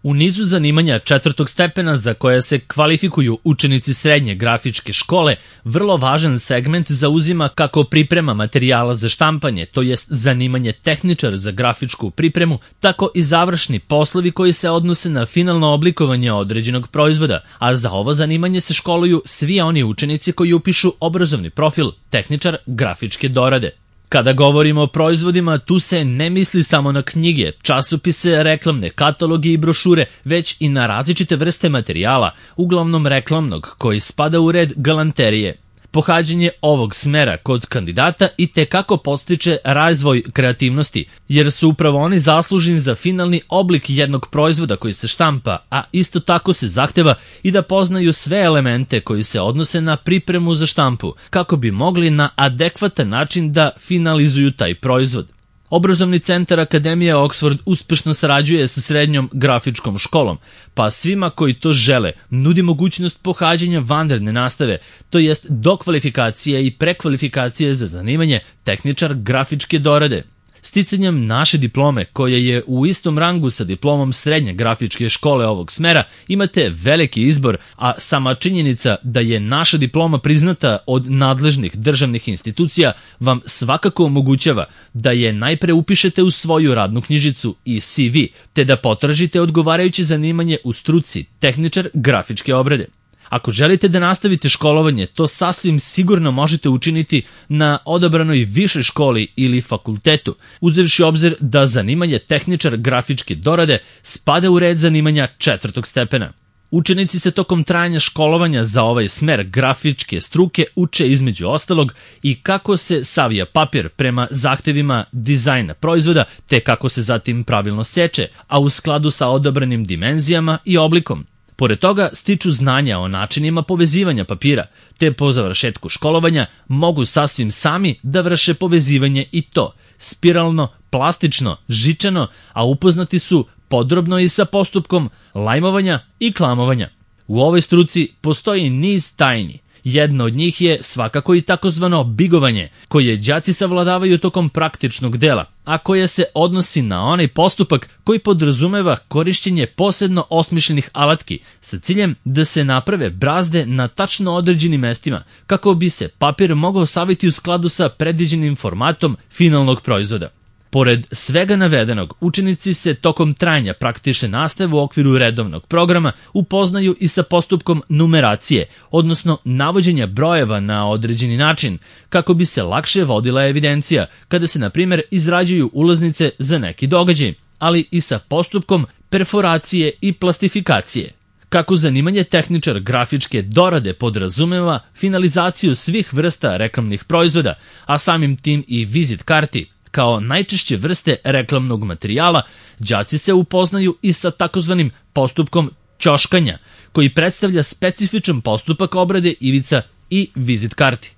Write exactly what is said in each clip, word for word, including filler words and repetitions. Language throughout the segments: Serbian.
U nizu zanimanja četvrtog stepena za koje se kvalifikuju učenici srednje grafičke škole, vrlo važan segment zauzima kako priprema materijala za štampanje, to jest zanimanje tehničar za grafičku pripremu, tako i završni poslovi koji se odnose na finalno oblikovanje određenog proizvoda, a za ovo zanimanje se školuju svi oni učenici koji upišu obrazovni profil tehničar grafičke dorade. Kada govorimo o proizvodima, tu se ne misli samo na knjige, časopise, reklamne kataloge i brošure, već i na različite vrste materijala, uglavnom reklamnog, koji spada u red galanterije. Pohađanje ovog smera kod kandidata i tekako podstiče razvoj kreativnosti, jer su upravo oni zaslužni za finalni oblik jednog proizvoda koji se štampa, a isto tako se zahteva i da poznaju sve elemente koji se odnose na pripremu za štampu, kako bi mogli na adekvatan način da finalizuju taj proizvod. Obrazovni centar Akademije Oxford uspešno sarađuje sa srednjom grafičkom školom, pa svima koji to žele nudi mogućnost pohađanja vanredne nastave, to jest dokvalifikacije i prekvalifikacije za zanimanje tehničar grafičke dorade. Sticanjem naše diplome, koja je u istom rangu sa diplomom srednje grafičke škole ovog smera, imate veliki izbor, a sama činjenica da je naša diploma priznata od nadležnih državnih institucija vam svakako omogućava da je najpre upišete u svoju radnu knjižicu i C V, te da potražite odgovarajuće zanimanje u struci tehničar grafičke obrade. Ako želite da nastavite školovanje, to sasvim sigurno možete učiniti na odabranoj višoj školi ili fakultetu, uzevši obzir da zanimanje tehničar grafičke dorade spada u red zanimanja četvrtog stepena. Učenici se tokom trajanja školovanja za ovaj smer grafičke struke uče između ostalog i kako se savija papir prema zahtevima dizajna proizvoda, te kako se zatim pravilno seče, a u skladu sa odabranim dimenzijama i oblikom. Pored toga stiču znanja o načinima povezivanja papira, te po završetku školovanja mogu sasvim sami da vrše povezivanje i to spiralno, plastično, žičano, a upoznati su podrobno i sa postupkom lajmovanja i klamovanja. U ovoj struci postoji niz tajni. Jedno od njih je svakako i takozvano bigovanje, koje đaci savladavaju tokom praktičnog dela, a koje se odnosi na onaj postupak koji podrazumeva korišćenje posebno osmišljenih alatki sa ciljem da se naprave brazde na tačno određenim mestima, kako bi se papir mogao saviti u skladu sa predviđenim formatom finalnog proizvoda. Pored svega navedenog, učenici se tokom trajanja praktične nastave u okviru redovnog programa upoznaju i sa postupkom numeracije, odnosno navođenja brojeva na određeni način, kako bi se lakše vodila evidencija kada se, na primjer, izrađuju ulaznice za neki događaj, ali i sa postupkom perforacije i plastifikacije. Kako zanimanje tehničar grafičke dorade podrazumeva finalizaciju svih vrsta reklamnih proizvoda, a samim tim i vizit karti, kao najčešće vrste reklamnog materijala, đaci se upoznaju i sa takozvanim postupkom ćoškanja, koji predstavlja specifičan postupak obrade ivica i vizit karti.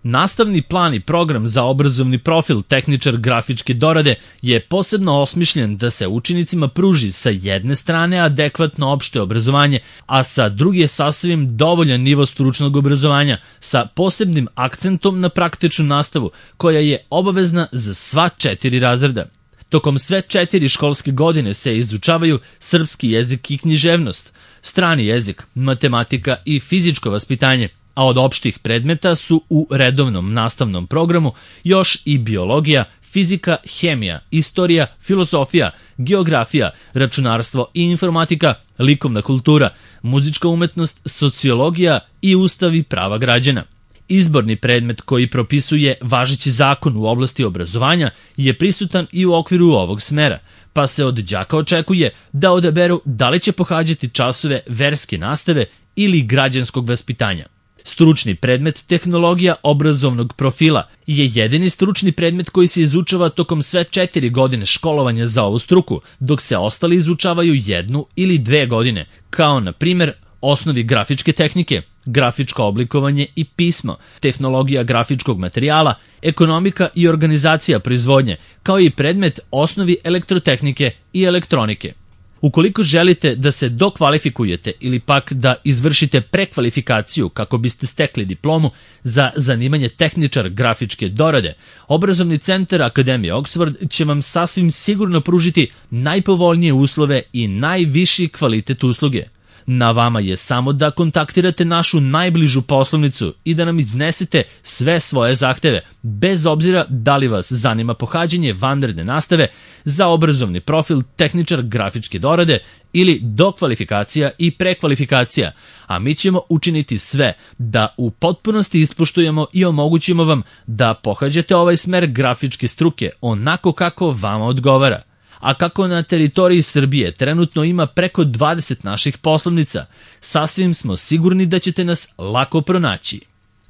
Nastavni plan i program za obrazovni profil tehničar grafičke dorade je posebno osmišljen da se učenicima pruži sa jedne strane adekvatno opšte obrazovanje, a sa druge sasvim dovoljan nivo stručnog obrazovanja sa posebnim akcentom na praktičnu nastavu koja je obavezna za sva četiri razreda. Tokom sve četiri školske godine se izučavaju srpski jezik i književnost, strani jezik, matematika i fizičko vaspitanje, a od opštih predmeta su u redovnom nastavnom programu još i biologija, fizika, hemija, istorija, filozofija, geografija, računarstvo i informatika, likovna kultura, muzička umetnost, sociologija i ustav i prava građana. Izborni predmet koji propisuje važeći zakon u oblasti obrazovanja je prisutan i u okviru ovog smera, pa se od đaka očekuje da odaberu da li će pohađati časove verske nastave ili građanskog vaspitanja. Stručni predmet tehnologija obrazovnog profila je jedini stručni predmet koji se izučava tokom sve četiri godine školovanja za ovu struku, dok se ostali izučavaju jednu ili dve godine, kao na primjer osnovi grafičke tehnike, grafičko oblikovanje i pismo, tehnologija grafičkog materijala, ekonomika i organizacija proizvodnje, kao i predmet osnovi elektrotehnike i elektronike. Ukoliko želite da se dokvalifikujete ili pak da izvršite prekvalifikaciju kako biste stekli diplomu za zanimanje tehničar grafičke dorade, Obrazovni centar Akademije Oxford će vam sasvim sigurno pružiti najpovoljnije uslove i najviši kvalitet usluge. Na vama je samo da kontaktirate našu najbližu poslovnicu i da nam iznesete sve svoje zahteve, bez obzira da li vas zanima pohađanje vanredne nastave za obrazovni profil tehničar grafičke dorade ili dokvalifikacija i prekvalifikacija, a mi ćemo učiniti sve da u potpunosti ispoštujemo i omogućimo vam da pohađate ovaj smer grafičke struke onako kako vama odgovara. A kako na teritoriji Srbije trenutno ima preko dvadeset naših poslovnica, sasvim smo sigurni da ćete nas lako pronaći.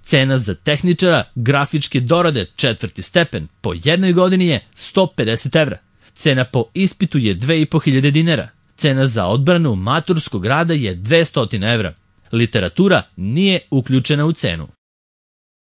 Cena za tehničara grafičke dorade četvrti stepen po jednoj godini je sto pedeset evra. Cena po ispitu je dve i po hiljade dinara. Cena za odbranu maturskog rada je dvesta evra. Literatura nije uključena u cenu.